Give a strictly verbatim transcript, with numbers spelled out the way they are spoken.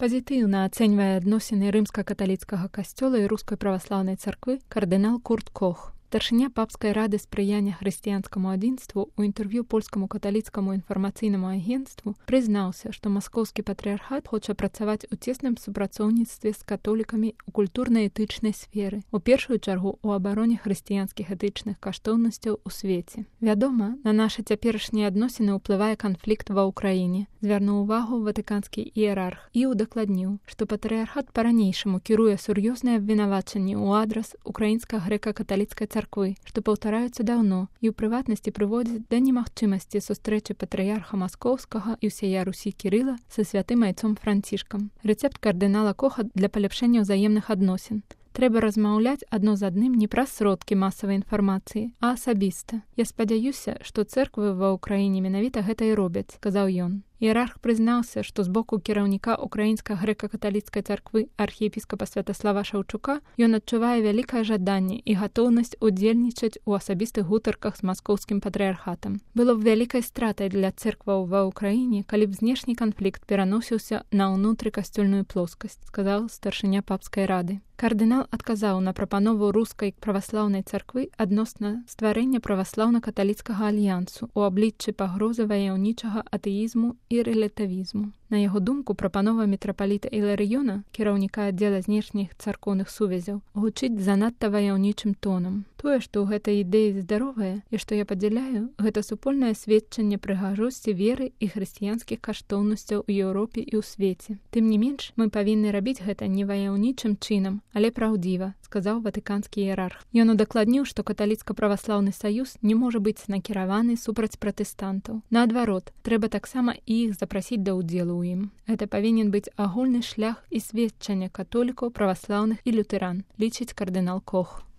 Пазітыўна ацэньвае адносіны рымска-каталіцкага касцёла і рускай праваслаўнай царквы кардынал Курт Кох. Старшыня папскай рады спрыяння хрысціянскаму адзінству ў інтэрв'ю польскаму каталіцкаму інфармацыйнаму агенцтву прызнаўся, што маскоўскі патрыярхат хоча працаваць у цесным супрацоўніцтве з католікамі ў культурна-этычнай сферы, у першую чаргу ў абароне хрысціянскіх этычных каштоўнасцяў у свеце. Вядома, на нашы цяперашнія адносіны ўплывае канфлікт ва ўкраіне, звярнуў увагу ватыканскі іерарх і удакладніў, што патрыярхат па-ранейшаму кіруе сур'ёзныя абвінавачанні ў адрас украінска-грэка-каталіцкай царквы, што паўтараюцца даўно і ў прыватнасці прыводзяць да немагчымасці сустрэчы патрыярха маскоўскага і ўсяя Русі Кірыла са святым айцом Францішкам. Рэцэпт кардынала Коха для паляпшэння ўзаемных адносін. Трэба размаўляць адно з адным не праз сродкі масавай інфармацыі, а асабіста. Я спадзяюся, што цэрквы ва ўкраіне менавіта гэта і робяць, сказаў ён. Іерарх прызнаўся, што з боку кіраўніка украінска-грэка-каталіцкай царквы архіепіскапа Святаслава Шаўчука ён адчувае вялікае жаданне і гатоўнасць удзельнічаць у асабістых гутарках з маскоўскім патрыярхатам. Было б вялікай стратай для цэркваў ва ўкраіне, калі б знешні канфлікт пераносіўся на ўнутрыкасцёльную плоскасць, сказаў старшыня папскай рады. Кардынал адказаў на прапанову рускай праваслаўнай царквы адносна стварэння праваслаўна-каталіцкага альянсу ў абліччы пагрозы ваяўнічага атэізму і рэлятывізму. На яго думку, прапанова мітрапаліта Іларыёна, кіраўніка аддзела знешніх царкоўных сувязяў, гучыць занадта ваяўнічым тонам. Тое, што ў гэтай ідэі здаровая і што я падзяляю, гэта супольнае сведчанне прыгажосці веры і хрысціянскіх каштоўнасцяў у Еўропе і ў свеце. Тым не менш, мы павінны рабіць гэта не ваяўнічым чынам, але праўдзіва, сказаў ватыканскі іерарх. Ён удакладніў, што каталіцка-праваслаўны саюз не можа быць накіраваны супраць пратэстантаў. Наадварот, трэба таксама і іх запрасіць да ўдзелу ў ім. Гэта павінен быць агульны шлях і сведчанне католікаў, праваслаўных і лютэран, лічыць кардынал Кох.